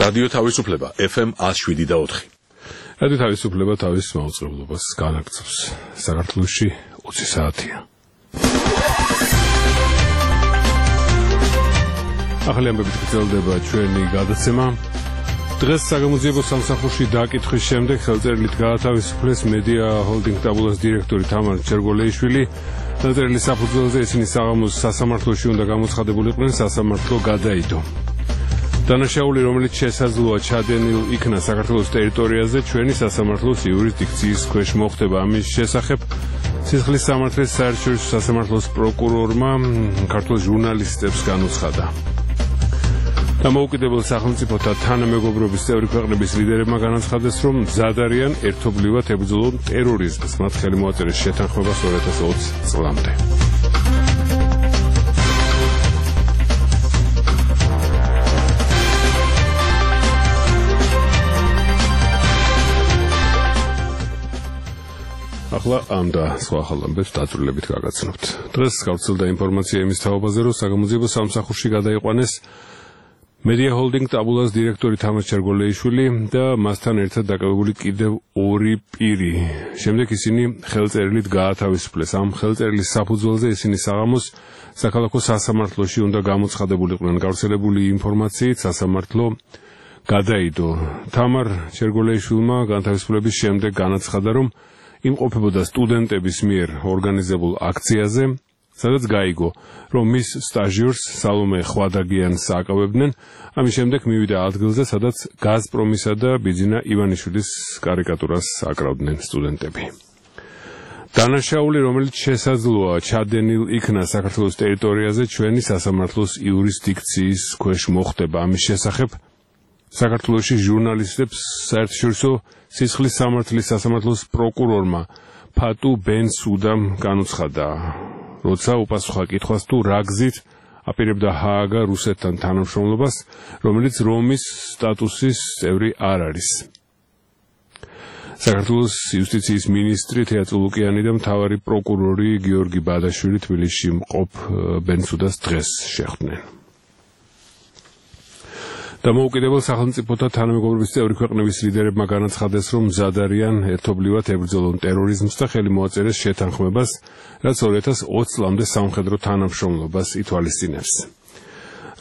რადიო თავისუფლება FM 107.4. რადიო თავისუფლება თავის მაუწყებლობას განაგრძობს. საქართველოში 20 საათია. ახალი ამბებით გრძელდება ჩვენი გადაცემა. დღეს საგამოძიებო სამსახურში დაკითხვის შემდეგ ხელწერილით გაათავისუფლეს მედია ჰოლდინგ ტაბულას დირექტორი თამარ ჩერგოლეიშვილი. ხელწერილის საფუძველზე ისინი საღამოს სასამართლოში უნდა გამოცხადებულიყვნენ, სასამართლო გადაიდო. დანაშაული, რომელიც შესაძლოა ჩადენილ იქნა საქართველოს ტერიტორიაზე, ჩვენი სასამართლოს იურისდიქციის ქვეშ მოხდება. ამის შესახებ სისხლის სამართლის საერთაშორისო სასამართლოს პროკურორმა ქართულ ჟურნალისტებს განუცხადა. დამოუკიდებელ სახელმწიფოთა თანამეგობრობის წევრი ქვეყნების ლიდერებმა განაცხადეს, რომ მზად არიან ერთობლივად ებრძოლონ ტერორიზმს. მათ ხელი მოაწერეს შეთანხმებას 2020 წლამდე. ახლა ამ და სხვა ახალ ამბებს დაწვრილებით გაგაცნობთ. დღეს გავრცელდა ინფორმაცია იმის თაობაზე, რომ საგამოძიებო სამსახურში გადაიყვანეს მედია ჰოლდინგ ტაბულას დირექტორი თამარ ჩერგოლეიშვილი და მასთან ერთად დაკავებული კიდევ 2 პირი. შემდეგ ისინი ხელწერილით გაათავისუფლეს. ამ ხელწერილის საფუძველზე ისინი საღამოს საქალაქო სასამართლოში უნდა გამოცხადებულიყვნენ. გავრცელებული ინფორმაციით სასამართლო გადაიდო. თამარ ჩერგოლეიშვილმა განთავისუფლების შემდეგ განაცხადა, რომ იმყოფებოდა სტუდენტების მიერ ორგანიზებულ აქციაზე, სადაც გაიგო, რომ მის სტაჟიორს სალომე ხვადაგიანს აკავებდნენ. ამის შემდეგ მივიდა ადგილზე, სადაც გაზპრომისა და ბიძინა ივანიშვილის კარიკატურას აკრავდნენ სტუდენტები. დანაშაული, რომელიც შესაძლოა ჩადენილ იქნა საქართველოს ტერიტორიაზე, ჩვენი სასამართლოს იურისდიქციის ქვეშ მოხდება. ამის შესახებ საქართველოში ჟურნალისტებს საერთაშორისო სისხლის სამართლის სასამართლოს პროკურორმა ფატუ ბენსუდამ განუცხადა, როცა უპასუხა კითხვას თუ რა გზით აპირებდა ჰააგა რუსეთთან თანამშრომლობას, რომელიც რომის სტატუსის წევრი არ არის. საქართველოს იუსტიციის მინისტრი თეატრო ლუკიანი და მთავარი პროკურორი გიორგი ბადაშვილი თბილისში მყოფ ბენსუდას დღეს შეხვდნენ. დამოუკიდებელ სახელმწიფოთა თანამეგობრობის წევრი ქვეყნების ლიდერებმა განაცხადეს, რომ მზად არიან ერთობლივად ებრძოლონ ტერორიზმს და ხელი მოაწერეს შეთანხმებას, რაც 2020 წლამდე სამხედრო თანამშრომლობას ითვალისწინებს.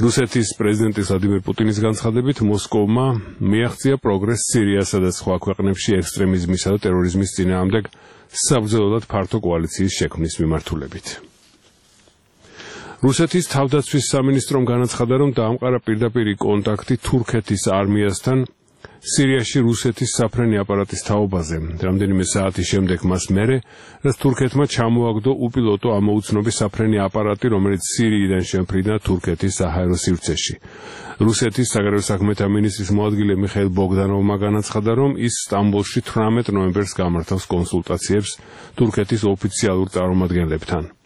რუსეთის პრეზიდენტის ვლადიმერ პუტინის განცხადებით, მოსკოვმა მიაღწია პროგრესს სირიასა და სხვა ქვეყნებში ექსტრემიზმისა და ტერორიზმის წინააღმდეგ საბრძოლოდ ფართო კოალიციის შექმნის მიმართულებით. რუსეთის თავდაცვის სამინისტრომ განაცხადა, რომ დაამყარა პირდაპირი კონტაქტი თურქეთის არმიასთან სირიაში რუსეთის საფრენი აპარატის თაობაზე. რამდენიმე საათის შემდეგ მას მერე, რაც თურქეთმა ჩამოაგდო უპილოტო ამოუცნობი საფრენი აპარატი, რომელიც სირიიდან შემფრიდა თურქეთის საჰაერო სივრცეში. რუსეთის საგარეო საქმეთა მინისტრის მოადგილე მიხეილ ბოგდანოვმა განაცხადა, რომ ის სტამბოლში 18 ნოემბერს გამართავს კონსულტაციებს თურქეთის ოფიციალურ წარმომადგენლებთან.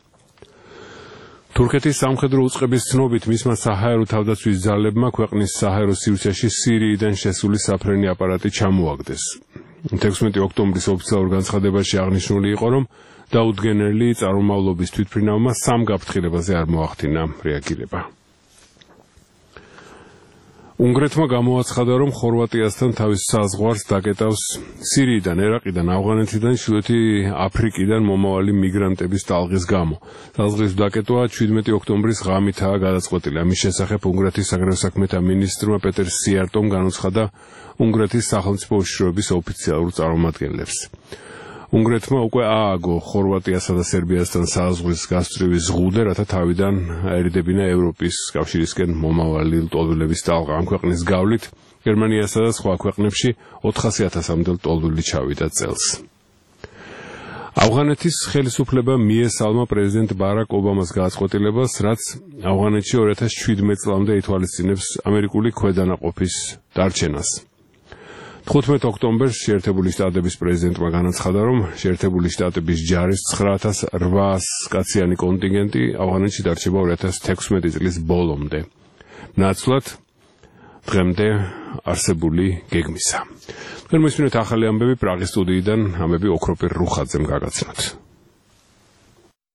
თურქეთის სამხედრო უწყების ცნობით მისმა საჰაერო თავდაცვის ძალებმა ქვეყნის საჰაერო სივრცეში სირიიდან შესული საფრენი აპარატი ჩამოაგდეს. 16 ოქტომბრის ოფიციალურ განცხადებაში აღნიშნული იყო, რომ დაუდგენელი წარმომავლობის თვითმფრინავმა სამ გაფრთხილებაზე არ მოახდინა რეაგირება. უნგრეთმა გამოაცხადა, რომ ხორვატიასთან თავის საზღვარს დაკეტავს სირიიდან, ერაყიდან, ავღანეთიდან, ჩრდილოეთი აფრიკიდან მომავალი მიგრანტების ტალღის გამო. ტალღის დაკეტვა 17 ოქტომბრის ღამითაა გადაწყვეტილი. ამის შესახებ უნგრეთის საგარეო საქმეთა მინისტრმა პეტერ სიარტომ განუცხადა უნგრეთის სახელმწიფო უშიშროების ოფიციალურ წარმომადგენლებს. უნგრეთმა უკვე ააგო ხორვატიასა და სერბიასთან საზღვრის გასწვრივი ზღუდე, რათა თავიდან აერიდებინა ევროპის კავშირისკენ მომავალი ლტოლვილების ტალღა. ამ ქვეყნის გავლით გერმანიასა და სხვა ქვეყნებში 400,000-მდე ლტოლვილი ჩავიდა წელს. ავღანეთის ხელისუფლება მიესალმა პრეზიდენტ ბარაკ ობამას გადაწყვეტილებას, რაც ავღანეთში 2017 წლამდე ითვალისწინებს ამერიკული ქვედანაყოფის დარჩენას. 15 ოქტომბერს შეერთებული შტატების პრეზიდენტმა განაცხადა, რომ შეერთებული შტატების ჯარის 9800 კაციანი კონტინგენტი ავღანეთში დარჩება 2016 წლის ბოლომდე. ნაცვლად დღემდე არსებული გეგმისა. თქვენ მოსმინეთ ახალი ამბები პრაღის სტუდიიდან, ამბები ოქროპირ რუხაძემ გაგაცნოთ.